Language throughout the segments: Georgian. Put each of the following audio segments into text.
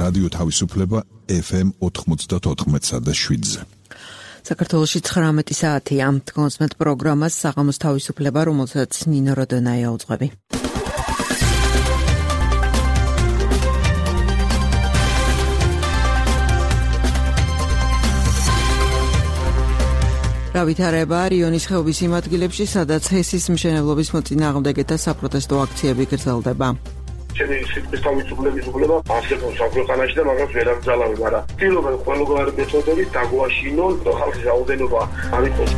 რადიო თავისუფლება FM 94.7-ზე. საქართველოში 19 საათია. კონსმეთ პროგრამას საღამოს თავისუფლება, რომელსაც ნინო როდონაია უძღვები. გავითარება რიონის ხეობის იმ ადგილებში, სადაც ჰესის მშენებლობის მოწინააღმდეგეთა საპროტესტო აქციები გრძელდება. ჩემი სიტყვის თავისუფლების უფლება არსებობს საქვეყანაში და მაგას ვერ აკრძალავენ, მაგრამ ვთქვი ყველგვარი მეთოდებით დაგვაშინონ და ხალხის რაოდენობა არ იყოს.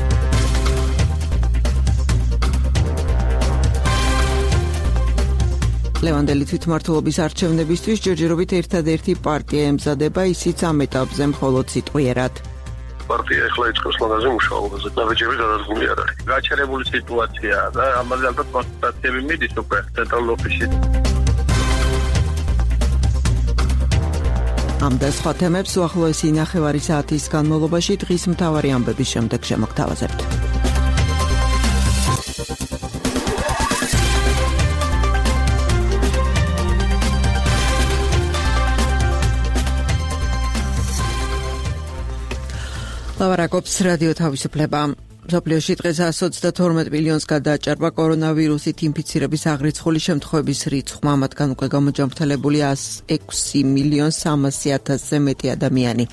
ლევანდელი თვითმმართველობის არჩევნებისთვის ჯერჯერობით ერთადერთი პარტია ემზადება, ისიც ამ ეტაპზე მხოლოდ სიტყვიერად. პარტია ეხლა იწყებს მაგაზე მუშაობაზე, დაბეჭები გადადგმული არ არის. გაჩერებული სიტუაციაა და ამაზე ალბათ კონსულტაციები მიდის უკვე ცენტრალურ ოფისში. ამ და სხვა თემებს უახლოესი ნახევარი საათის განმავლობაში დღის მთავარი ამბების შემდეგ შემოგთავაზებთ. ლავარაკობს რადიო თავისუფლება. მსოფლიოში დღეს 132 მილიონს გადააჭარბა კორონავირუსით ინფიცირების აღრიცხული შემთხვევების რიცხვმა, მათგან უკვე გამოჯანმრთელებული 106.300.000-ზე მეტი ადამიანი.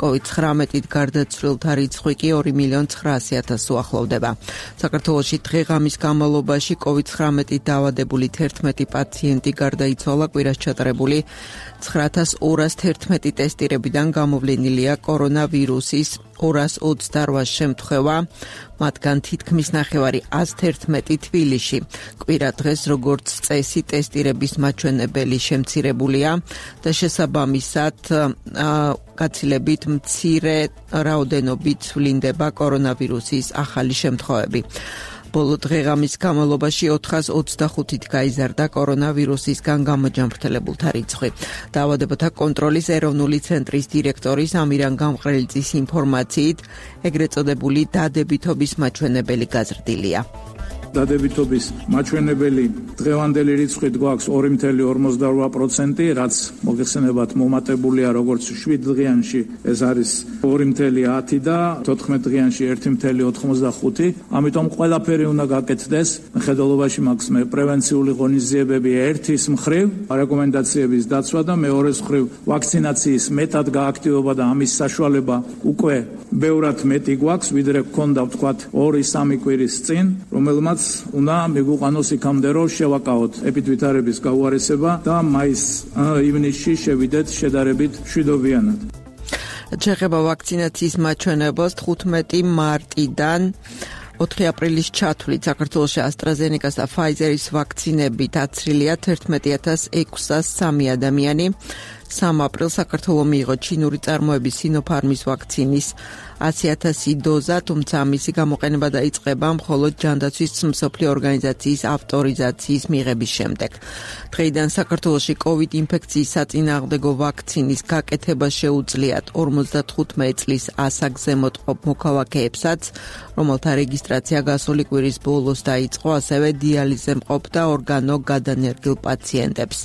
COVID-19-ით გარდაცვლილთა რიცხვი კი 2.900.000-ს უახლოვდება. საქართველოში დღე-ღამის განმავლობაში COVID-19-ით დაავადებული 11 პაციენტი გარდაიცვალა, კვირას ჩატარებული 9211 ტესტირებიდან გამოვლენილია კორონავირუსის 228 შემთხვევა, მათგან თითქმის ნახევარი 111 თბილისში. კვირა დღეს როგორც წესი ტესტირების მაჩვენებელი შემცირებულია და შესაბამისად გაცილებით მცირე რაოდენობით ვლინდება კორონავირუსის ახალი შემთხვევები. ბოლო დღე-ღამის განმავლობაში 425-ით გაიზარდა კორონავირუსისგან გამოჯანმრთელებულთა რიცხვი. დაავადებათა კონტროლის ეროვნული ცენტრის დირექტორის ამირან გამყრელიძის ინფორმაციით, ეგრეთ წოდებული დადებითობის მაჩვენებელი გაზრდილია. დადებითობის მაჩვენებელი დღევანდელი რიცხვით გვაქვს 2.48%, რაც მოგეხსენებათ მომატებულია როგორც 7 დღეანში ეს არის 2.10 და 14 დღეანში 1.85. ამიტომ ყველაფერი უნდა გაკეთდეს. მხედველობაში მაქვს მე პრევენციული ღონისძიებები ერთის მხრივ, რეკომენდაციების დაცვა და მეორეს მხრივ ვაქცინაციის მეტად გააქტივება და ამის საშუალება უკვე ბევრად მეტი გვაქვს, ვიდრე გქონდა ვთქვათ 2-3 კვირის წინ, რომელმაც უნდა მიგვიყვანოს იქამდე, რომ შევაკავოთ ეპიდვითარების გაუარესება და მაის-ივნისში შევიდეთ შედარებით მშვიდობიანად. შეხება ვაქცინაციის მაჩვენებელს 15 მარტიდან 4 აპრილის ჩათვლით საქართველოში AstraZeneca და Pfizer-ის ვაქცინები დაცრილია 11603 ადამიანი. 3 აპრილს საქართველოს მიიღო ჩინური წარმოების Sinopharm-ის ვაქცინის 100,000 დოზა, თუმცა მისი გამოყენება დაიწყება მხოლოდ ჯანდაცვის მსოფლიო ორგანიზაციის ავტორიზაციის მიღების შემდეგ. დღეიდან საქართველოში COVID ინფექციის საწინააღმდეგო ვაქცინის გაკეთება შეუძლიათ 55 წლის ასაგზემოთ მყოფ მოქალაქეებსაც, რომელთა რეგისტრაცია გასული კვირის ბოლოს დაიწყო, ასევე დიალიზზე მყოფ და ორგანო გადანერგილ პაციენტებს.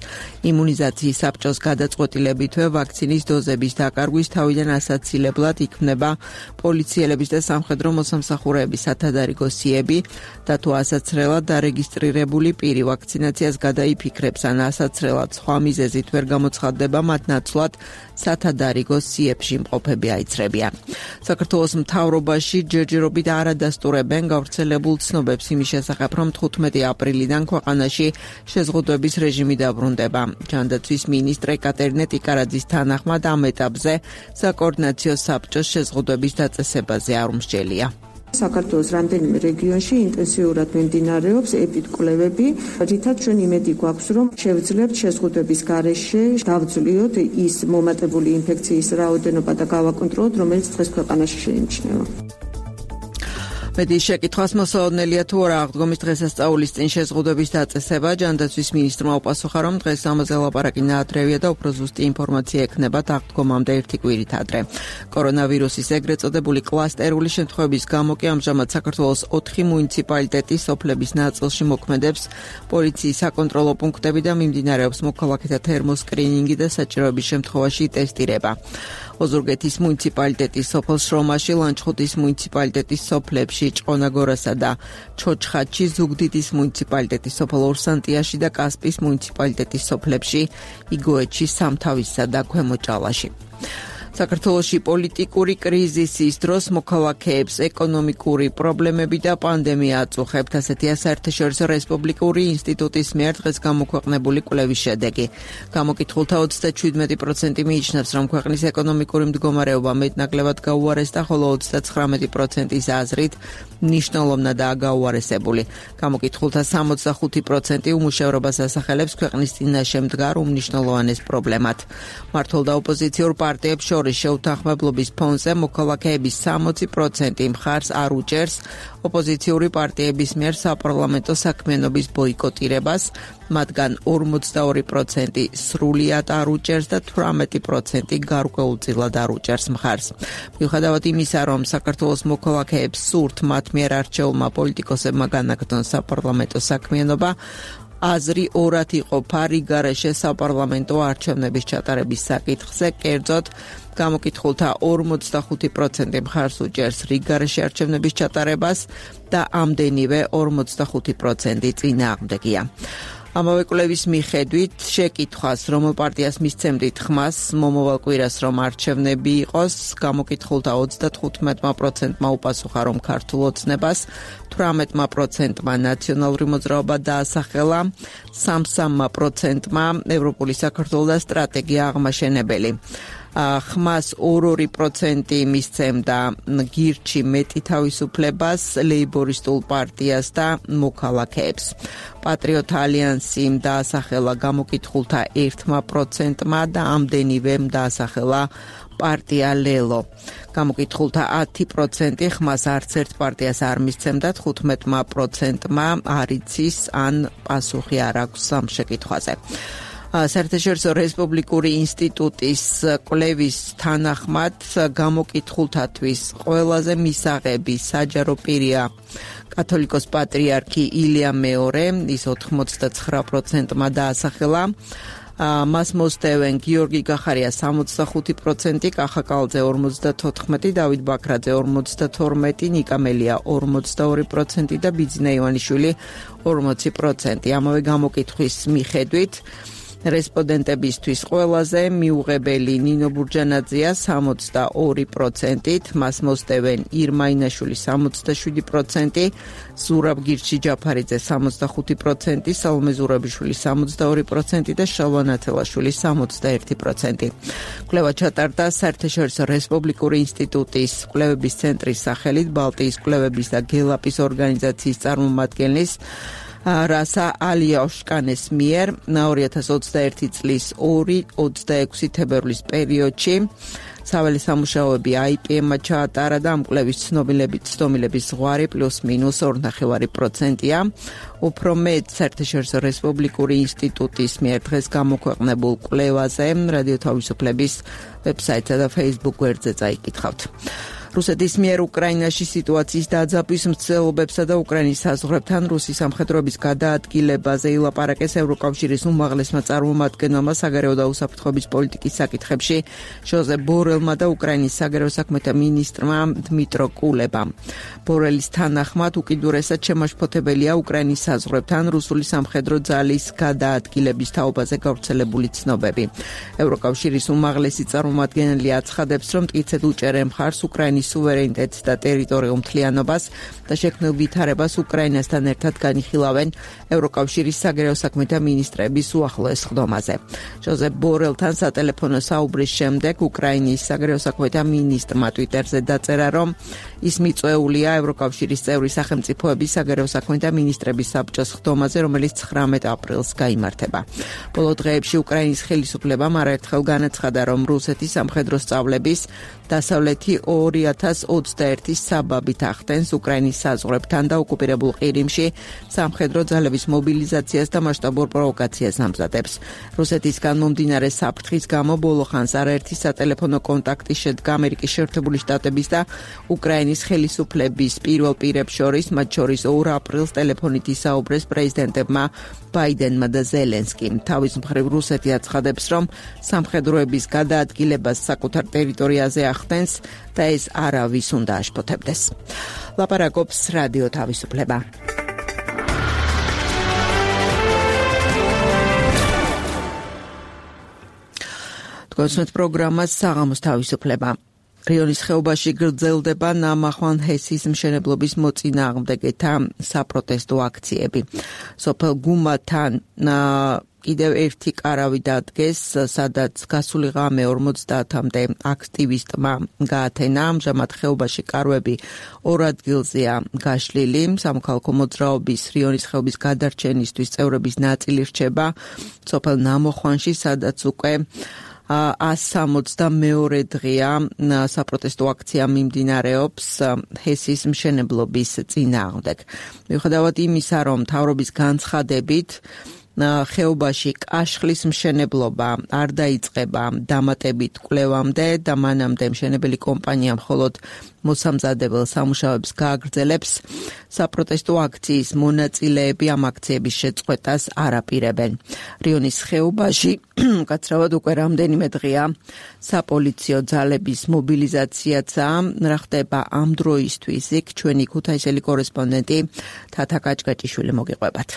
იმუნიზაციის საბჭოს გადაწყვეტილებითვე ვაქცინის დოზების დაკარგვის თავიდან ასაცილებლად იქმნება პოლიციელების და სამხედრო მოსამსახურეების სათადარიგო სიები და თუ ასაცრელად დარეგისტრირებული პირი ვაქცინაციას გადაიფიქრებს ან ასაცრელად სხვა მიზეზით ვერ გამოცხადდება, მათ ნაცვლად სათადარიგო სიებში მყოფები აიცრებიან. საქართველოს მთავრობაში ჯერჯერობით არ ადასტურებენ გავრცელებულ ცნობებს იმის შესახებ, რომ 15 აპრილიდან ქვეყანაში შეზღუდვების რეჟიმი დაბრუნდება. ჯანდაცვის მინისტრ ეკატერინე ტიკარაძის თანახმად ამ ეტაპზე საკოორდინაციო საბჭოს შეზღუდვების დაწესებაზე არ უმსჯელია. საქართველოს რამდენიმე რეგიონში ინტენსიურად მიმდინარეობს ეპიდკვლევები, რითაც ჩვენ იმედი გვაქვს, რომ შევძლებთ შეზღუდვების გარეშე დავძლიოთ ის მომატებული ინფექციის რაოდენობა და გავაკონტროლოთ, რომელიც დღეს ქვეყანაში შეიმჩნევა. მედიის შეკითხვას მოსაოდნელია თუ არა აღდგომის დღესასწაულის წინ შეზღუდვების დაწესება. ჯანდაცვის მინისტრმა უპასუხა, რომ დღეს ამაზე ლაპარაკი ნაადრევია და უფრო ზუსტი ინფორმაცია ექნებათ აღდგომამდე 1 კვირით ადრე. კორონავირუსის ეგრეთ წოდებული კლასტერული შემთხვევების გამო კი ამჟამად საქართველოს 4 მუნიციპალიტეტის სოფლების ნაწილში მოქმედებს პოლიციის საკონტროლო პუნქტები და მიმდინარეობს მოქალაქეთა თერმოსკრინინგი და საჭიროების შემთხვევაში ტესტირება. ოზურგეთის მუნიციპალიტეტის სოფელ შრომაში, ლანჩხუთის მუნიციპალიტეტის სოფლებში, ჭყონაგორასა და ჩოჩხატში, ზუგდიდის მუნიციპალიტეტის სოფელ ორსანტიაში და კასპის მუნიციპალიტეტის სოფლებში, იგოეთში, სამთავისსა და ქვემო ჭალაში. საქართველოში პოლიტიკური კრიზისის დროს მოქალაქეებს ეკონომიკური პრობლემები და პანდემია აწუხებთ, ასეთია საერთაშორისო რესპუბლიკური ინსტიტუტის მიერ დღეს გამოქვეყნებული კვლევის შედეგი. გამოკითხულთა 37% მიიჩნევს, რომ ქვეყნის ეკონომიკური მდგომარეობა მეტნაკლებად გაუარესდა, ხოლო 39%-ის აზრით მნიშვნელოვნადაა გაუარესებული. გამოკითხულთა 65% უმუშევრობას ასახელებს ქვეყნის წინაშე მდგარ უმნიშვნელოვანეს პრობლემად. მმართველ და ოპოზიციურ პარტიებს შეუთანხმებლობის ფონზე მოქალაქეების 60% მხარს არ უჭერს ოპოზიციური პარტიების მიერ საპარლამენტო საქმიანობის ბოიკოტირებას, მათგან 42% სრულიად არ უჭერს და 18% გარკვეულწილად არ უჭერს მხარს. მიუხედავად იმისა, რომ საქართველოს მოქალაქეებს სურთ მათ მიერ არჩეულმა პოლიტიკოსებმა განაგრძონ საპარლამენტო საქმიანობა, აზრი ორად იყოფა რიგარეშე საპარლამენტო არჩევნების ჩატარების საკითხზე, კერძოდ გამოკითხულთა 45% მხარს უჭერს რიგარეშე არჩევნების ჩატარებას და ამდენივე 45% წინააღმდეგია. ამავე კვლევის მიხედვით შეკითხვას, რომელ პარტიას მისცემდით ხმას მომავალ კვირას რომ არჩევნები იყოს, გამოკითხულთა 35%-მა უპასუხა, რომ ქართულ ოცნებას, 18%-მა ნაციონალური მოძრაობა დაასახელა, 33%-მა ევროპული საქართველო და სტრატეგია აღმაშენებელი. ხმას 2% მისცემდა გირჩი მეტი თავისუფლებას, ლეიბორისტულ პარტიას და მოქალაქეებს. პატრიოტ ალიანსი დაასახელა გამოკითხულთა 1%-მა და ამდენივე დაასახელა პარტია ლელო. გამოკითხულთა 10% ხმას არც ერთ პარტიას არ მისცემდა, 15%-მა არ იცის ან პასუხი არ აქვს ამ შეკითხვაზე. საერთაშორისო რესპუბლიკური ინსტიტუტის კვლევის თანახმად გამოკითხულთათვის ყველაზე მისაღები საჯარო პირია კათოლიკოს პატრიარქი ილია მეორე, ის 89%-მა დაასახელა. მას მოსდევენ გიორგი გახარია 65%, კახა კალძე 54%, დავით ბაქრაძე 52%, ნიკა მელია 42% და ბიძინა ივანიშვილი 40%. ამავე გამოკითხვის მიხედვით რესპონდენტებისთვის ყველაზე მიუღებელი ნინო ბურჯანაძეა 62%-ით, მას მოსდევენ ირმა ინაშვილი 67%, ზურაბ გირჩი ჯაფარიძე 65%, სალომე ზურაბიშვილი 62% და შალვა ნათელაშვილი 61%. კვლევა ჩატარდა საერთაშორისო რესპუბლიკური ინსტიტუტის კვლევების ცენტრის სახელით ბალტიის კვლევების და გელაპის ორგანიზაციის წარმომადგენლის რასა ალიაშკანეს მიერ 2021 წლის 2-26 თებერვლის პერიოდში საველე სამუშაოები IPM-მა ჩაატარა და ამ კვლევის ცნობილების ზღვარი +-2.5%-ია. უფრო მეტ საერთაშორისო რესპუბლიკური ინსტიტუტის მიერ დღეს გამოქვეყნებულ კვლევაზე რადიო თავისუფლების ვებსაიტსა და Facebook გვერდზე წაიკითხავთ. რუსეთის მიერ უკრაინაში სიტუაციის დაძაბვის მცდელობებსა და უკრაინის საზღვრებთან რუსის სამხედროების გადაადგილებაზე ილაპარაკეს ევროკავშირის უმაღლესმა წარმომადგენელმა საგარეო და უსაფრთხოების პოლიტიკის საკითხებში ჟოზეფ ბორელმა და უკრაინის საგარეო საქმეთა მინისტრმა დმიტრო კულებამ. ბორელის თანახმად უკიდურესად შემაშფოთებელია უკრაინის საზღვრებთან რუსული სამხედრო ძალის გადაადგილების თაობაზე გავრცელებული ცნობები. ევროკავშირის უმაღლესი წარმომადგენელი აცხადებს, რომ მტკიცედ უჭერენ მხარს უკრაინის სუვერენიტეტს და ტერიტორიულ მთლიანობას და შექმნილ ვითარებას უკრაინასთან ერთად განიხილავენ ევროკავშირის საგარეო საქმეთა მინისტრების უახლოეს ხდომაზე. ჟოზეფ ბორელთან სატელეფონო საუბრის შემდეგ უკრაინის საგარეო საქმეთა მინისტრმა ტვიტერზე დაწერა, რომ ის მიწვეულია ევროკავშირის წევრი სახელმწიფოების საგარეო საქმეთა მინისტრების საბჭოს ხდომაზე, რომელიც 19 აპრილს გაიმართება. ბოლო დღეებში უკრაინის ხელისუფლებამ არაერთხელ განაცხადა, რომ რუსეთის სამხედრო სწავლების დასავლეთი 2 2021 საბაბით ახდენს უკრაინის საზღვრებთან და ოკუპირებულ ყირიმში სამხედრო ძალების მობილიზაციას და მასშტაბურ პროვოკაციას ამზადებს. რუსეთისგან მომდინარე საფრთხის გამო ბოლო ხანს არაერთი სატელეფონო კონტაქტი შედგა ამერიკის შეერთებული შტატების და უკრაინის ხელისუფლების პირველ პირებს შორის, მათ შორის 2 აპრილს ტელეფონით ისაუბრეს პრეზიდენტებმა ბაიდენმა და ზელენსკიმ. თავის მხრივ რუსეთი აცხადებს, რომ სამხედროების გადაადგილებას საკუთარ ტერიტორიაზე ახდენს და ეს არავის უნდა აშფოთებდეს. ლაპარაკობს რადიო თავისუფლება. თქვენს პროგრამას საღამოს თავისუფლება. რიონის ხეობაში გრძელდება ნამახვან ჰესის მშენებლობის მოწინააღმდეგეთა საპროტესტო აქციები. სოფელ გუმათან კიდევ ერთი კარავი დადგეს, სადაც გასული ღამე 50-მდე აქტივისტმა გაათენა. ამჟამად ხეობაში კარვები 2 ადგილზეა გაშლილი. სამოქალაქო მოძრაობის რიონის ხეობის გადარჩენისთვის წევრების ნაწილი რჩება სოფელ ნამოხვანში, სადაც უკვე 162 დღეა საპროტესტო აქცია მიმდინარეობს ჰესის მშენებლობის წინააღმდეგ. მიუხედავად იმისა, რომ მთავრობის განცხადებით ხეობაში კაშხლის მშენებლობა არ დაიწყება დამატებით კვლევამდე და მანამდე მშენებელი კომპანია მხოლოდ მოსამზადებელ სამუშაოებს გააგრძელებს, საპროტესტო აქციის მონაწილეები ამ აქციების შეწყვეტას არ აპირებენ. რიონის ხეობაში კაცრავად უკვე რამდენიმე დღეა საპოლიციო ძალების მობილიზაციაცაა. რა ხდება ამ დროისთვის, იქ ჩვენი ქუთაისელი კორესპონდენტი თათა კაჭკაჭიშვილი მოგიყვებათ.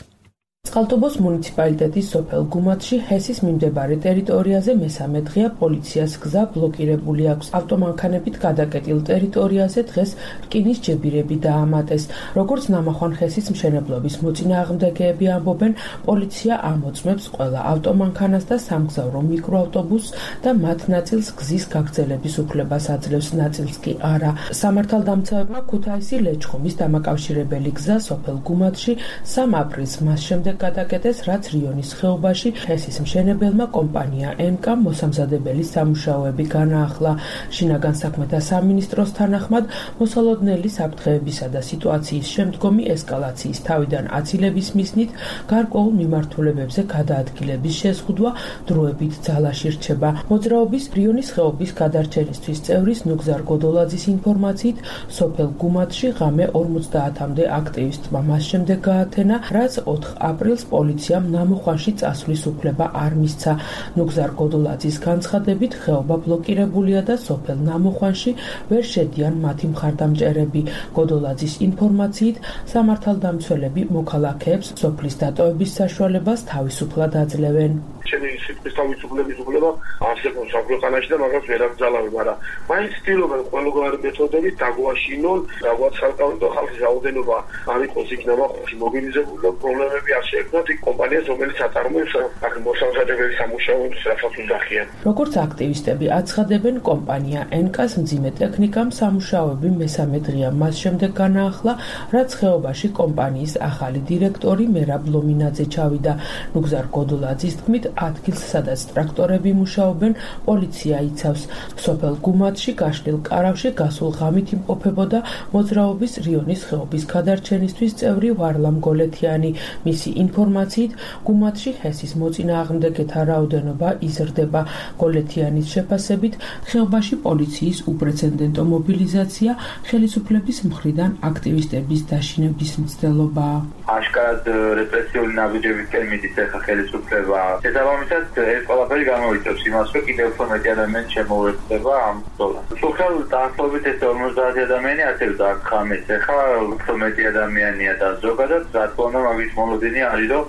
წყალტუბოს მუნიციპალიტეტის სოფელ გუმათში ჰესის მიმდებარე ტერიტორიაზე მესამე დღეა პოლიციას გზა ბლოკირებული აქვს. ავტომანქანებით გადაკეტილ ტერიტორიაზე დღეს რკინის ჯებირები დაამატეს. როგორც ნამახვან ჰესის მშენებლობის მოწინააღმდეგეები ამბობენ, პოლიცია ამოწმებს ყველა ავტომანქანას და სამგზავრო მიკროავტობუსს და მათ ნაწილს გზის გაგრძელების უფლებას აძლევს, ნაწილს კი არა. სამართალდამცავებმა ქუთაისი ლეჩხუმის დამაკავშირებელი გზა სოფელ გუმათში 3 აპრილს მას შემდეგ გადაკეტეს, რაც რიონის ხეობაში ჰესის მშენებელმა კომპანია ემკ მოსამზადებელი სამუშაოები განაახლა. შინაგან საქმეთა სამინისტროს თანახმად, მოსალოდნელი საფრთხეებისა და სიტუაციის შემდგომი ესკალაციის თავიდან აცილების მიზნით გარკვეულ მიმართულებებზე გადაადგილების შეზღუდვა დროებით ძალაში რჩება. მოძრაობის რიონის ხეობის გადარჩენისთვის წევრის ნუგზარ გოდოლაძის ინფორმაციით, სოფელ გუმათში ღამე 50-მდე აქტივისტმა მას შემდეგ გაათენა, რაც 4 აპრილს პოლიციამ ნამოხვანში წასვლის უფლება არ მისცა. ნუგზარ გოდოლაძის განცხადებით, ხეობა ბლოკირებულია და სოფელ ნამოხვანში ვერ შედიან მათი მხარდამჭერები. გოდოლაძის ინფორმაციით, სამართალდამცველები მოქალაქეებს სოფლის დატოვების საშუალებას თავისუფლად აძლევენ. ჩემი სიტყვის თავისუფლების უფლება არსებობს საქვეყანაში და მაგას ვერ აკრძალავენ, მაგრამ მაინც ცდილობენ ყველგვარი მეთოდებით დაგვაშინონ, რაღაც საკანონმდებლო ხალხის რაოდენობა არ იყოს იქ ნამახვანში მობილიზებული და პრობლემები არ შეექმნათ იქ კომპანიას, რომელიც აწარმოებს აქ მოსამზადებელი სამუშაოებს, რასაც უნდახიან. როგორც აქტივისტები აცხადებენ, კომპანია ენკას მძიმე ტექნიკამ სამუშაოები მესამე დღეა მას შემდეგ განაახლა, რაც ხეობაში კომპანიის ახალი დირექტორი მერაბ ლომინაძე ჩავიდა. ნუგზარ გოდოლაძის თქმით, ადგილს, სადაც ტრაქტორები მუშაობენ, პოლიცია იცავს. სოფელ გუმათში გაშლილ კარავში გასულ ღამით იმყოფებოდა მოძრაობის რიონის ხეობის გადარჩენისთვის წევრი ვარლამ გოლეთიანი. მისი ინფორმაციით, გუმათში ჰესის მოწინააღმდეგეთა რაოდენობა იზრდება. გოლეთიანის შეფასებით, ხეობაში პოლიციის უპრეცედენტო მობილიზაცია ხელისუფლების მხრიდან აქტივისტების დაშინების მცდელობაა. აშკარად რეპრესიული ნაბიჯებით ემიდის ახლა ხელისუფლება. შესაბამისად, ეს ყველაფერი გამოიწვევს იმას, რომ კიდევ უფრო მეტი ადამიანი შემოუერთდება ამ ბრძოლას. სულ დაახლოებით 50 ადამიანი ასევე დაგხამეს. ახლა უფრო მეტი ადამიანია და ზოგადად რა თქმა უნდა მაგის მოლოდინი არის, რომ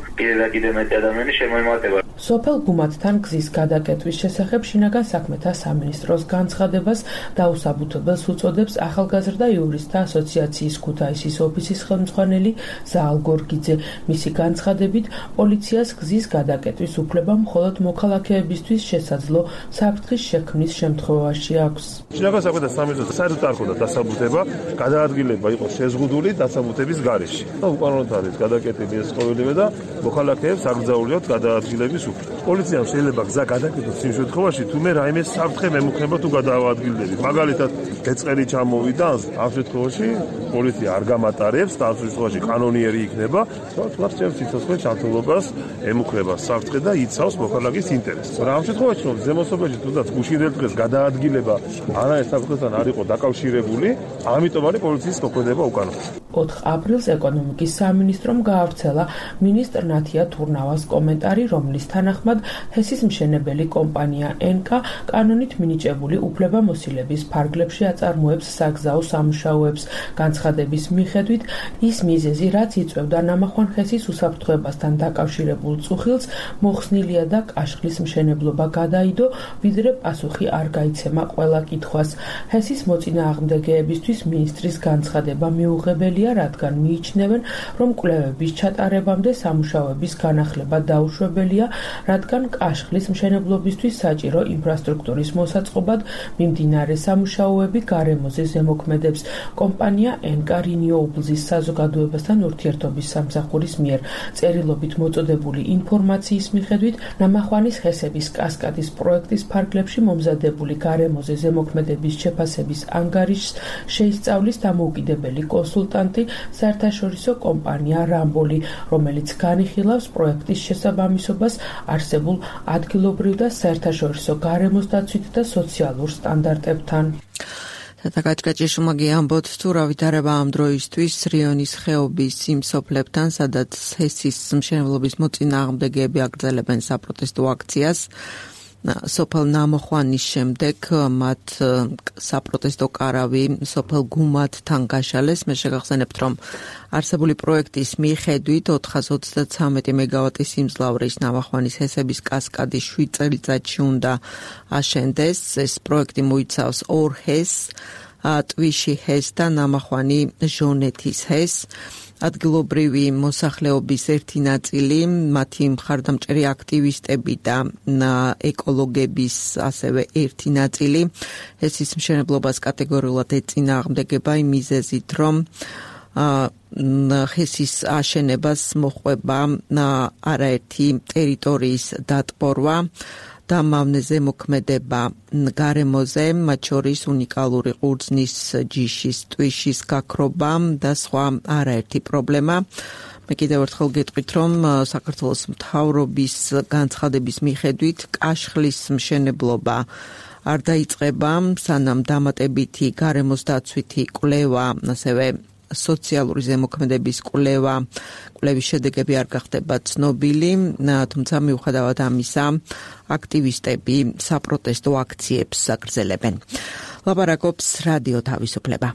კიდევ მეტი ადამიანი შემოემატება. სოფელ გუმათთან გზის გადაკეტვის შესახებ შინაგან საქმეთა სამინისტროს განცხადებას დაუსაბუთებელს უწოდებს ახალგაზრდა იურისტთა ასოციაციის ქუთაისის ოფისის ხელმძღვანელი ზაალ გორგიძე. მისი განცხადებით, პოლიციას გზის გადაკეტვის უფლება მხოლოდ მოქალაქეებისთვის შესაძლო საფრთხის შექმნის შემთხვევაში აქვს. შინაგან საქმეთა სამინისტროს საერთოდ არ ხდება დასაბუთება, გადაადგილება იყო შეზღუდული დასაბუთების გარეშე. და უკანონოდ არის გადაკეტილი ეს ყოველივე და მოქალაქეებს აკრძალულიათ გადაადგილების ხელისუფლება. პოლიციამ შეიძლება გზა გადაკეთოს იმ შემთხვევაში, თუ მე რაიმე საფრთხე მემუქნება თუ გადაავადგილდები. მაგალითად, ეწყერი ჩამოვიდა, ამ შემთხვევაში პოლიცია არ გამატარებს და ამ შემთხვევაში კანონიერი იქნება, თუმცა ჩემს სიცოცხლე ჩართულობას ემუქრება საფრთხე და იცავს მოქალაქის ინტერესს. რა ამ შემთხვევაში რომ ზემოსოფლებში თუნდაც გუშინდელ დღეს გადაადგილება არაერთ საფრთხესთან არ იყო დაკავშირებული, ამიტომ არის პოლიციის მოქმედება უკანონო. 4 აპრილს ეკონომიკის სამინისტრომ გაავრცელა მინისტრ ნათია თურნავას კომენტარი, რომლის თანახმად ჰესის მშენებელი კომპანია ენკა კანონით მინიჭებული უფლებამოსილების ფარგლებში აწარმოებს საგზაო სამუშაოებს. განცხადების მიხედვით ის მიზეზი, რაც იწვევდა ნამახვან ჰესის უსაფრთხოებასთან დაკავშირებულ წუხილს, მოხსნილია და კაშხლის მშენებლობა გადაიდო, ვიდრე პასუხი არ გაიცემა ყველა კითხვას. ჰესის მოწინააღმდეგეებისთვის მინისტრის განცხადება მიუღებელია, რადგან მიიჩნევენ, რომ კვლევების ჩატარებამდე სამუშაოების განახლება დაუშვებელია, რადგან კაშხლის მშენებლობისთვის საჭირო ინფრასტრუქტურის მოსაწყობად მიმდინარე სამუშაოები გარემოზე ზემოქმედებს. კომპანია ენკა რინიუებლზის საზოგადოებასთან ურთიერთობის სამსახურის მიერ წერილობით მოწოდებული ინფორმაციის მიხედვით, ნამახვანის ჰესების კასკადის პროექტის ფარგლებში მომზადებული გარემოზე ზემოქმედების შეფასების ანგარიშს შეისწავლის დამოუკიდებელი კონსულტანტი, საერთაშორისო კომპანია რამბოლი, რომელიც განიხილავს პროექტის შესაბამისობას არსებულ ადგილობრივ და საერთაშორისო გარემოს დაცვით და სოციალურ სტანდარტებთან. Საკაჭკაჭიშუმაგი ამბობთ, თუ რა ვითარება ამ დროისთვის რიონის ხეობის იმ სოფლებთან, სადაც ჰესის მშენებლობის მოწინააღმდეგეები აგრძელებენ საპროტესტო აქციას. სოფელ ნამოხვანის შემდეგ მათ საპროტესტო კარავი სოფელ გუმათთან გაშალეს. მე შეგახსენებთ, რომ არსებული პროექტის მიხედვით 433 მეგავატის სიმძლავრის ნამახვანის ჰესების კასკადი 7 წელიწადში უნდა აშენდეს. ეს პროექტი მოიცავს 2 ჰესს, ტვიში ჰესს და ნამახვანი ჟონეთის ჰესს. ადგილობრივი მოსახლეობის ერთი ნაწილი, მათი მხარდამჭერი აქტივისტები და ეკოლოგების ასევე ერთი ნაწილი ჰესის მშენებლობას კატეგორიულად ეწინააღმდეგება იმ მიზეზით, რომ ჰესის აშენებას მოჰყვება არაერთი ტერიტორიის დატბორვა და მავნე ზემოქმედება გარემოზე, მათ შორის უნიკალური ყურძნის ჯიშის, ტვიშის გაქრობა და სხვა არაერთი პრობლემა. მე კიდევ ერთხელ გეტყვით, რომ საქართველოს მთავრობის განცხადების მიხედვით კაშხლის მშენებლობა არ დაიწყება, სანამ დამატებითი გარემოს დაცვითი კვლევა, ასევე სოციალური ზემოქმედების კვლევის შედეგები არ გახდება ცნობილი, თუმცა მიუხედავად ამისა, აქტივისტები საპროტესტო აქციებს აგრძელებენ. ლაპარაკობს რადიო თავისუფლება.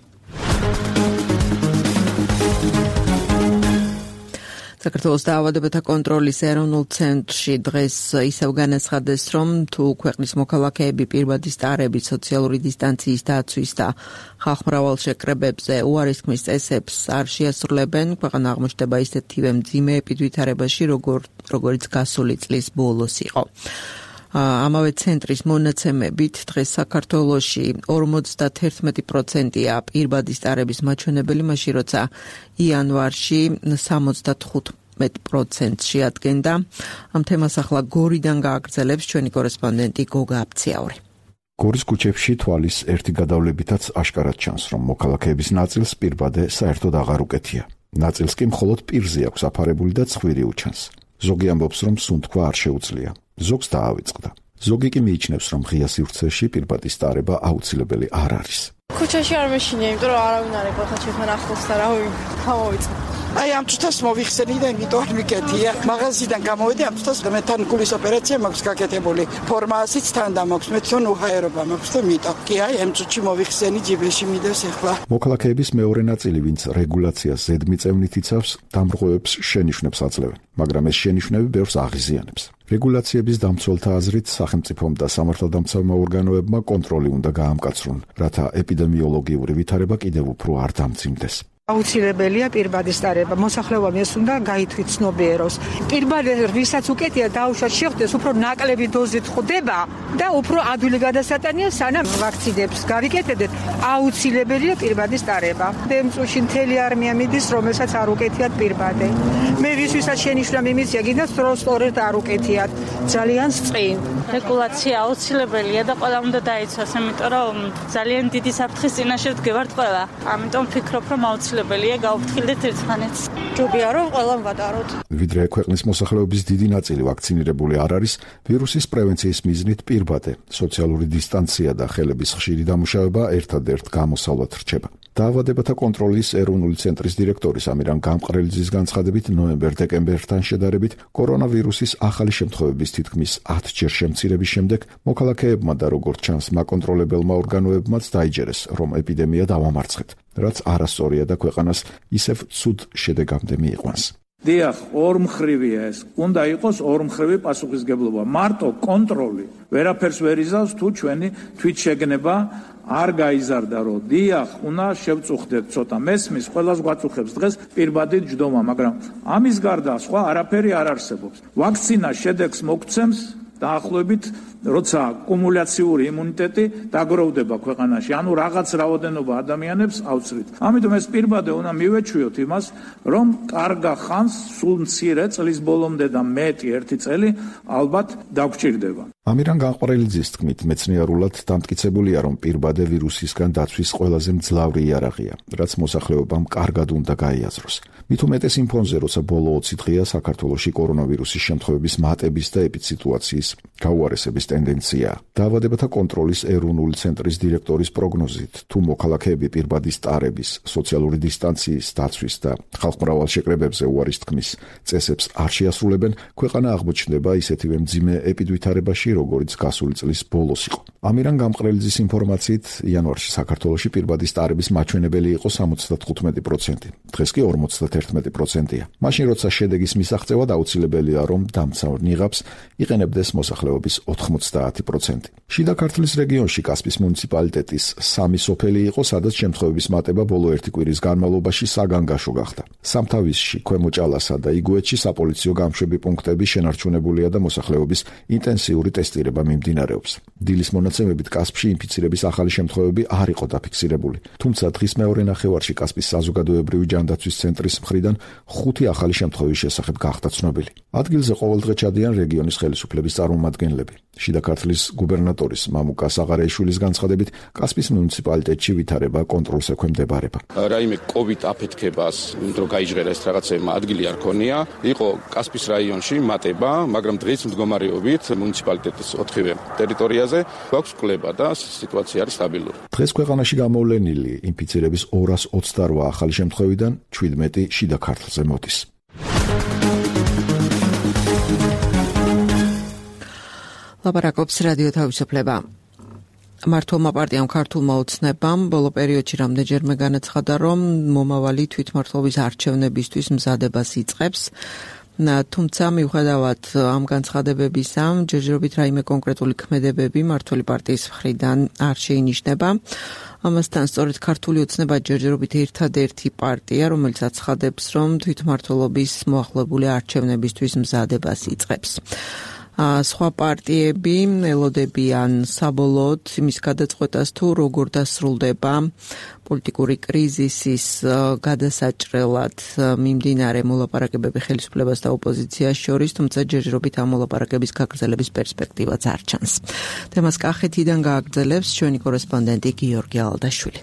საქართველოს დაავადებათა კონტროლის ეროვნულ ცენტრში დღეს ისევ განაცხადეს, რომ თუ ქვეყნის მოქალაქეები პირბადის ტარების, სოციალური დისტანციის დაცვის და ხალხმრავალ შეკრებებზე უარისქმის წესებს არ შეასრულებენ, ქვეყანა აღმოჩნდება ისეთივე მძიმე ეპიდვითარებაში, როგორც გასული წლის ბოლოს იყო. ამავე ცენტრის მონაცემებით დღეს საქართველოში 51%-ია პირბადის ტარების მაჩვენებელი, მაშინ როცა იანვარში 75% შეადგენდა. ამ თემას ახლა გორიდან გააგრძელებს ჩვენი კორესპონდენტი გოგა აფციაური. გორის ქუჩებში თვალის ერთი გადავლებითაც აშკარად ჩანს, რომ მოქალაქეების ნაწილს პირბადე საერთოდ აღარ უკეთია. ნაწილს კი მხოლოდ პირზე აქვს აფარებული და ცხვირი უჩანს. ზოგი ამბობს, რომ სუნთქვა არ შეუძლია. ზოგს დაავიწყდა. ზოგი კი მიიჩნევს, რომ ღია სივრცეში პირბადის ტარება აუცილებელი არ არის. ქუჩაში არ მეშინია, იმიტომ რომ არავინ არ ეყოლა ჩემთან ახლოს და რავი გამოვიწე. აი ამ თვითას მოვიხსენი და იმიტომ არ მიკეთია. მაღაზიიდან გამოვედი, ამ თვითას მე თან გულის ოპერაცია მაქვს გაკეთებული. ფორმაასიც თან დამაქვს, მე თვითონ უჰაერობა მაქვს და მიტო. კი აი ამ წუთში მოვიხსენი ჯიბეში მიდეს ახლა. მოქალაქეების მეორე ნაწილი, ვინც რეგულაციას ზედმიწევნით იცავს, დამრღვევებს შენიშვნებს აძლევენ, მაგრამ ეს შენიშვნები ბევრს აღიზიანებს. რეგულაციების დამცველთა აზრით, სახელმწიფომ და სამართალდამცავმა ორგანოებმა კონტროლი უნდა გაამკაცრონ, რათა ეპიდემიოლოგიური ვითარება კიდევ უფრო არ დამძიმდეს. აუცილებელია პირბადის დარება. მოსახლეობამ ეს უნდა გაითვითცნობიეროს. პირბადი ვისაც უკეთია დაუშვათ შეხვდეს, უფრო ნაკლები დოზით ხვდება და უფრო ადვილი გადასატანია, სანამ ვაქცინებს გავიკეთებთ, აუცილებელია პირბადის დარება. დემწუში მთელი არმია მიდის, რომელსაც არ უკეთიათ პირბადე. მე ვისაც შენიშვნა მიმიწია, გინდა სწორედ არ უკეთიათ. ძალიან სწინ. რეგულაცია აუცილებელია და ყველა უნდა დაიცვას, იმიტომ რომ ძალიან დიდი საფრთხის წინაშე ვდგევართ ყველა. ამიტომ ვფიქრობ, რომ აუცილებელია გავუფრთხილდეთ ერთმანეთს. ჯობია რომ ყველამ ვატაროთ. ვიდრე ქვეყნის მოსახლეობის დიდი ნაწილი ვაქცინირებული არ არის, ვირუსის პრევენციის მიზნით პირბადე, სოციალური დისტანცია და ხელების ხშირი დამუშავება ერთადერთ გამოსავლად რჩება. დაავადებათა კონტროლის ეროვნული ცენტრის დირექტორის ამირან გამყრელიძის განცხადებით, ნოემბერ-დეკემბერთან შედარებით კორონავირუსის ახალი შემთხვევების თითქმის 10-ჯერ შემცირების შემდეგ მოქალაქეებმა და როგორც ჩანს მაკონტროლებელმა ორგანოებმაც დაიჯერეს, რომ ეპიდემია დავამარცხეთ, რაც არასწორია და ქვეყანას ისევ ცუდ შედეგამდე მიიყვანს. დიახ, ორმხრივია ეს. უნდა იყოს ორმხრივი პასუხისგებლობა. მარტო კონტროლი ვერაფერს ვერ იზავს თუ ჩვენი თვითშეგნება არ გაიზარდა, რომ დიახ, უნდა შევწუხდეთ ცოტა. მესმის, ყველას გვაწუხებს დღეს პირბადით ჯდომა, მაგრამ ამის გარდა სხვა არაფერი არ არსებობს. ვაქცინა შედეგს მოგცემს დაახლოებით, როცა კუმულაციური იმუნიტეტი დაგროვდება ქვეყანაში, ანუ რაღაც რაოდენობა ადამიანებს ავწრით. ამიტომ ეს პირბადე უნდა მივეჩვიოთ იმას, რომ კარგა ხანს, სულ მცირე წლის ბოლომდე და მეტი ერთი წელი ალბათ დაგვჭირდება. ამირან გამყრელიძის თქმით, მეცნიერულად დამტკიცებულია, რომ პირბადე ვირუსისგან დაცვის ყველაზე მძლავრი იარაღია, რაც მოსახლეობამ კარგად უნდა გაიაზროს. მით უმეტეს იმ ფონზე, როცა ბოლო 20 დღეა საქართველოში კორონავირუსის შემთხვევების მატების და ეპიდსიტუაციის გაუარესების ტენდენცია. დაავადებათა კონტროლის ეროვნული ცენტრის დირექტორის პროგნოზით, თუ მოქალაქეები პირბადის ტარების, სოციალური დისტანციის დაცვის და ხალხმრავალშეკრებებზე უარის თქმის წესებს არ შეასრულებენ, ქვეყანა აღმოჩნდება ისეთივე მძიმე ეპიდვითარებაში, როგორც გასული წლის ბოლოს იყო. ამირან გამყრელიძის ინფორმაციით, იანვარში საქართველოში პირბადის ტარების მაჩვენებელი იყო 75%, დღეს კი 51%-ია. მაშინ როცა შედეგის მისაღწევად აუცილებელია, რომ დამცავ ნიღაბს იყენებდეს მოსახლეობის 90%. შიდა ქართლის რეგიონში კასპის მუნიციპალიტეტის 3 სოფელი იყო, სადაც შემთხვევების მატება ბოლო 1 კვირის განმავლობაში საგანგაშო გახდა. სამთავისში, ქვემო ჭალასა და იგუეთში საპოლიციო გამშვები პუნქტები შენარჩუნებულია და მოსახლეობის ინტენსიური ტესტირება მიმდინარეობს. დილის მონაცემებით კასპში ინფიცირების ახალი შემთხვევები არ იყო დაფიქსირებული. თუმცა დღის მეორე ნახევარში კასპის საზოგადოებრივი ჯანდაცვის ცენტრის მხრიდან 5 ახალი შემთხვევის შესახებ გახდა ცნობილი. ადგილზე ყოველდღე ჩადიან რეგიონის ხელისუფლების წარმომადგენლები. შიდა ქართლის გუბერნატორის მამუკა საღარაიშვილის განცხადებით, კასპის მუნიციპალიტეტში ვითარება კონტროლს ექვემდებარება. რაიმე COVID აფეთქებას, იმიტომ რომ გაიჟღერა ეს რაღაცეებმა ადგილი არ ქონია, იყო კასპის რაიონში მატება, მაგრამ დღის მდგომარეობით მუნიციპალიტეტის 4-ვე ტერიტორიაზე გვაქვს კვლება და სიტუაცია არის სტაბილური. დღეს ქვეყანაში გამოვლენილი ინფიცირების 228 ახალი შემთხვევიდან 17 შიდა ქართლზე მოდის. ლაპარაკობს რადიო თავისუფლება. მართლმა პარტიამ ქართულმა ოცნებამ ბოლო პერიოდში რამდენჯერმე განაცხადა, რომ მომავალი თვითმმართველობის არჩევნებისთვის მზადებას იწყებს. თუმცა მიუხედავად ამ განცხადებებისა, ჯერჯერობით რაიმე კონკრეტული ქმედებები მმართველი პარტიის მხრიდან არ შეინიშნება. ამასთან სწორედ ქართული ოცნება ჯერჯერობით ერთადერთი პარტია, რომელიც აცხადებს, რომ თვითმმართველობის მოახლებული არჩევნებისთვის მზადებას იწყებს. სხვა პარტიები ელოდებიან საბოლოოდ იმის გადაწყვეტას, თუ როგორ დასრულდება პოლიტიკური კრიზისის გადასაჭრელად მიმდინარე მოლაპარაკებები ხელისუფლებას და ოპოზიციას შორის, თუმცა ჯერჯერობით ამ მოლაპარაკების გაგრძელების პერსპექტივაც არ ჩანს. თემას კახეთიდან გააგრძელებს ჩვენი კორესპონდენტი გიორგი ალდაშვილი.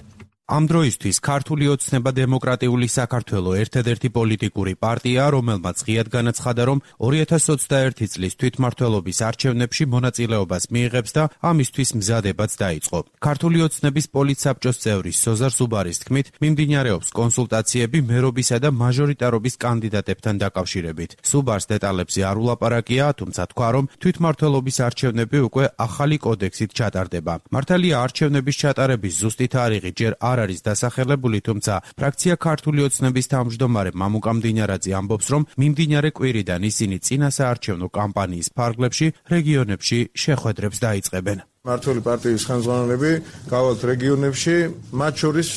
ამ დროისთვის ქართული ოცნება დემოკრატიული საქართველო ერთადერთი პოლიტიკური პარტია, რომელმაც ღიად განაცხადა, რომ 2021 წლის თვითმმართველობის არჩევნებში მონაწილეობას მიიღებს და ამისთვის მზადებაც დაიწყო. ქართული ოცნების პოლიტსაბჭოს წევრი სოზარ სუბარის თქმით, მიმდინარეობს კონსულტაციები მერობისა და მაჟორიტარობის კანდიდატებთან დაკავშირებით. სუბარს დეტალებზე არ ულაპარაკია, თუმცა თქვა, რომ თვითმმართველობის არჩევნები უკვე ახალი კოდექსით ჩატარდება. მართალია არჩევნების ჩატარების ზუსტი თარიღი ჯერ არ არის დასახელებული, თუმცა ფრაქცია ქართული ოცნების თავმჯდომარე მამუკა მდინარაძე ამბობს, რომ მიმდინარე კვირიდან ისინი წინასაარჩევნო კამპანიის ფარგლებში რეგიონებში შეხვედრებს დაიწყებენ. მართველი პარტიის ხელმძღვანელები გავალთ რეგიონებში, მათ შორის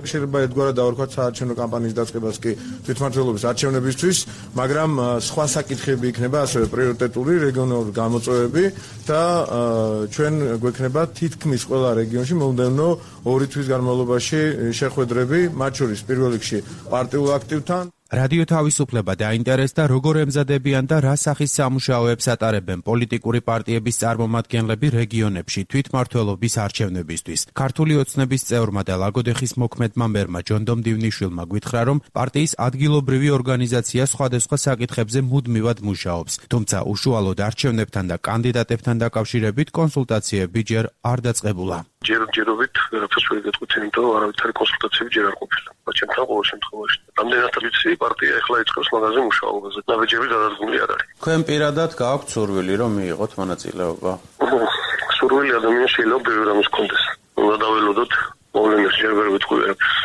შეიძლება ერთგვარად დავარქვათ საარჩევნო კამპანიის დაწყებას კი თვითმმართველობის არჩევნებისთვის, მაგრამ სხვა საკითხები იქნება ასევე პრიორიტეტული რეგიონალური გამოწვევები და ჩვენ გვექნება თითქმის ყველა რეგიონში მომდევნო 2 თვის განმავლობაში შეხვედრები, მათ შორის პირველ რიგში პარტიულ აქტივთან. რადიო თავისუფლება დაინტერესდა, როგორ ემზადებიან და რა სახის სამუშაოებს ატარებენ პოლიტიკური პარტიების წარმომადგენლები რეგიონებში თვითმმართველობის არჩევნებისთვის. ქართული ოცნების წევრმა და ლაგოდეხის მოქმედმა მერმა ჯონდომ დივნიშვილმა გვითხრა, რომ პარტიის ადგილობრივი ორგანიზაცია სხვადასხვა საკითხებზე მუდმივად მუშაობს, თუმცა უშუალოდ არჩევნებთან და კანდიდატებთან დაკავშირებით კონსულტაციები ჯერ არ დაწყებულა. ჯერჯერობით ვერაფერს ვერ გეტყვით, იმიტომ რომ არავითარი კონსულტაციები ჯერ არ ყოფილა. ჩემთან ყოველ შემთხვევაში. რამდენად ვიცი, პარტია ახლა იწყებს მაგაზე მუშაობაზე. ნაბიჯები გადადგმული არ არის. თქვენ პირადად გააქვთ სურვილი, რომ მიიღოთ მონაწილეობა? სურვილი ადამიანს შეიძლება ბევრი რამის ჰქონდეს. უნდა დაველოდოთ მოვლენებს ჯერ ვერ ვიტყვი ვერაფერს.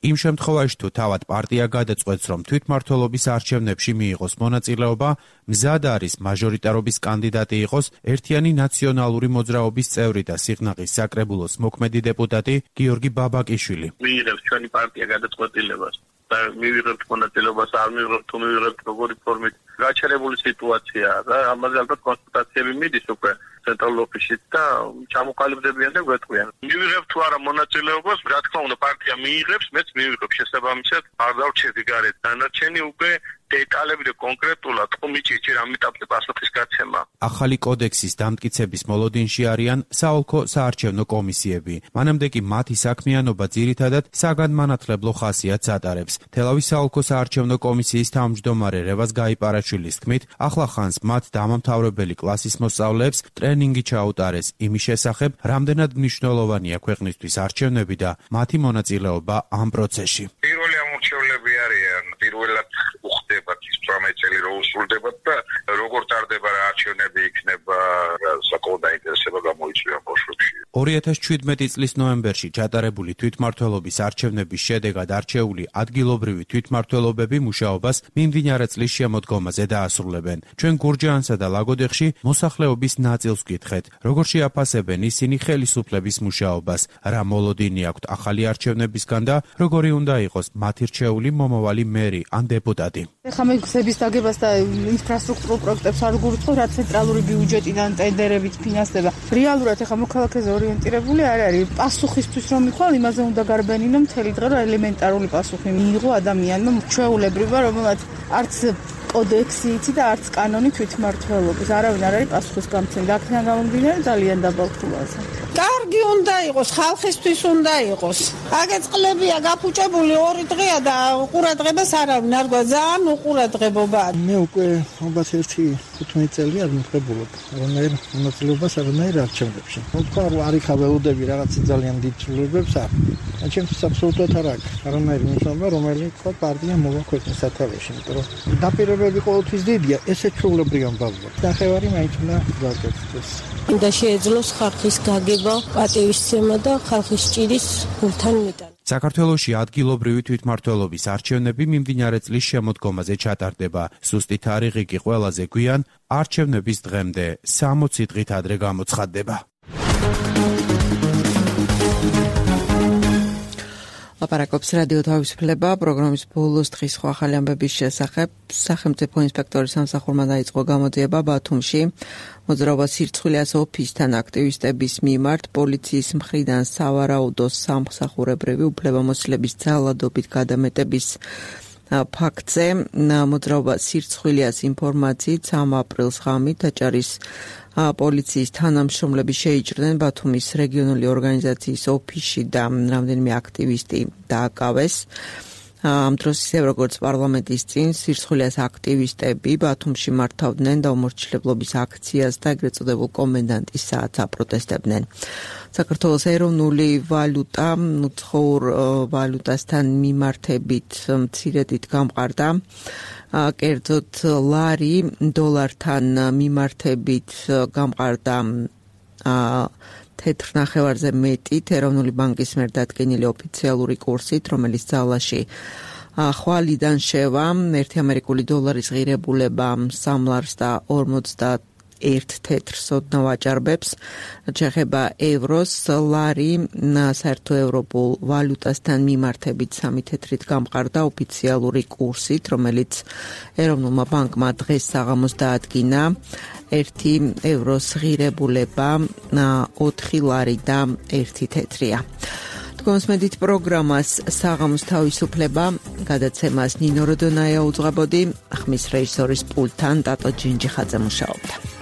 იმ შემთხვევაში თუ თავად პარტია გადაწყვეტს, რომ თვითმმართველობის არჩევნებში მიიღოს მონაწილეობა, მზად არის მაჟორიტარობის კანდიდატი იყოს ერთიანი ნაციონალური მოძრაობის წევრი და სიღნაღის საკრებულოს მოქმედი დეპუტატი გიორგი ბაბაკიშვილი. მიიღებს ჩვენი პარტია გადაწყვეტილებას და მივიღებთ მონაწილეობას, არ მივიღებთ, თუ მივიღებთ როგორი ფორმით. გაჩერებული სიტუაციაა და ამაზე ალბათ კონსულტაციები მიდის უკვე ცენტრალურ ოფისში და ჩამოყალიბდებიან და გვეტყვიან. მივიღებთ თუ არა მონაწილეობას, რა თქმა უნდა პარტია მიიღებს, მეც მივიღებ შესაბამისად, არ დავრჩები გარეთ. დანარჩენი უკვე დეტალები და კონკრეტულად კომიტეტში რამ ეტაპზე პასუხის გაცემა. ახალი კოდექსის დამტკიცების მოლოდინში არიან საოლქო საარჩევნო კომისიები. მანამდე კი მათი საქმიანობა ძირითადად საგანმანათლებლო ხასიათს ატარებს. თელავის საოლქო საარჩევნო კომისიის თავმჯდომარე რევაზ გაიპარაშვილის თქმით, ახლა ხანს მათ დამამთავრებელი კლასის მოსწავლეებს ტრენინგი ჩაუტარეს იმის შესახებ, რამდენად მნიშვნელოვანია ქვეყნისთვის არჩევნები და მათი მონაწილეობა ამ პროცესში. პირველი ამორჩევლები არიან, პირველად უხდებათ ის 18 წელი რო უსრულდებათ და როგორ ტარდება რა არჩევნები იქნება, საკმაოდ დაინტერესება გამოიწვია ბავშვებში. 2017 წლის ნოემბერში ჩატარებული თვითმმართველობის არჩევნების შედეგად არჩეული ადგილობრივი თვითმმართველობები მუშაობას მიმდინარე წლის შემოდგომაზე დაასრულებენ. ჩვენ გურჯაანსა და ლაგოდეხში მოსახლეობის ნაწილს გითხეთ, როგორ შეაფასებენ ისინი ხელისუფლების მუშაობას, რა მოლოდინი აქვთ ახალი არჩევნებისგან და როგორი უნდა იყოს მათი რჩეული მომავალი მერი ან დეპუტატი. ეხლა მე გზების დაგებას და ინფრასტრუქტურულ პროექტებს არ გურთხოვ, რა ცენტრალური ბიუჯეტიდან ტენდერებით ფინანსდება. რეალურად ეხლა მოქალაქეზე ორიენტირებული არ არის. პასუხისთვის რომ მიხვალ, იმაზე უნდა გარბენინო მთელი დღე, რომ ელემენტარული პასუხი მიიღო ადამიანმა, ჩვეულებრივა, რომელსაც არც კოდექსი იცი და არც კანონი თვითმმართველობის. არავინ არ არის პასუხის გამცემი. აქედან გამომდინარე ძალიან დაბალ ფულაზე. კარგი უნდა იყოს, ხალხისთვის უნდა იყოს. აგეწყლებია გაფუჭებული 2 დღეა და ყურადღებას არავინ არ გვაქვს. ძალიან უყურადღებობაა. მე უკვე 15 წელი არ მიღებულობ რომელ მონაწილეობას არანაირ არჩევნებში. თქვა რომ არ იქაველოდები რაღაც ძალიან დიდ ცვლილებებს არ. ჩემთვის აბსოლუტურად არ აქვს არანაირი მნიშვნელობა, რომელი თქვა პარტია მოვა ქვეყნის სათავეში, იმიტომ რომ დაპირებები ყოველთვის დიდია, ესე ჩვეულებრივი ამბავია. ნახევარი მაინც უნდა გაკეთდეს. უნდა შეეძლოს ხალხის გაგება, პატივისცემა და ხალხის ჭირის გულთან მიტანა. საქართველოში ადგილობრივი თვითმმართველობის არჩევნები მიმდინარე წლის შემოდგომაზე ჩატარდება. ზუსტი თარიღი კი ყველაზე გვიან არჩევნების დღემდე 60 დღით ადრე გამოცხადდება. ლაპარაკობს რადიო თავისუფლება პროგრამის ბოლოს დღის სხვა ახალი ამბების შესახებ. სახელმწიფო ინსპექტორის სამსახურმა დაიწყო გამოძიება ბათუმში. მოძრაობა სირცხვილიას ოფისთან აქტივისტების მიმართ პოლიციის მხრიდან სავარაუდო სამსახურებრივი უფლებამოსილების ძალადობით გადამეტების ფაქტზე. მოძრაობა სირცხვილიას ინფორმაციით 3 აპრილს ღამით აჭარის პოლიციის თანამშრომლები შეიჭრნენ ბათუმის რეგიონული ორგანიზაციის ოფისში და რამდენიმე აქტივისტი დააკავეს. ამ დროს ისევ როგორც პარლამენტის წინ სირცხვილიას აქტივისტები ბათუმში მართავდნენ და უმორჩილებლობის აქციას და ეგრეთ წოდებულ კომენდანტის საათს აპროტესტებდნენ. საქართველოს ეროვნული ვალუტა უცხოურ ვალუტასთან მიმართებით მცირედით გამყარდა. კერძოდ ლარი დოლართან მიმართებით გამყარდა 4 ნახევარზე მეტით ეროვნული ბანკის მიერ დადგენილი ოფიციალური კურსით, რომელიც ძალაში ხვალიდან შევა. 1 ამერიკული დოლარის ღირებულება $3.50 ერთ თეთრ სოდნავ აჭარბებს, შეხება ევროს, ლარი საერთო ევროპულ ვალუტასთან მიმართებით 3 თეთრით გამყარდა ოფიციალური კურსით, რომელიც ეროვნულმა ბანკმა დღეს საღამოს დაადგინა. 1 ევროს ღირებულება 4 ლარი და 1 თეთრია. გონსმედით პროგრამას საღამოს თავისუფლება გადაცემას ნინო როდონაია უძღვებოდი, ხმის რეჟისორის პულტთან ტატო ჯინჯიხაძე მუშაობდა.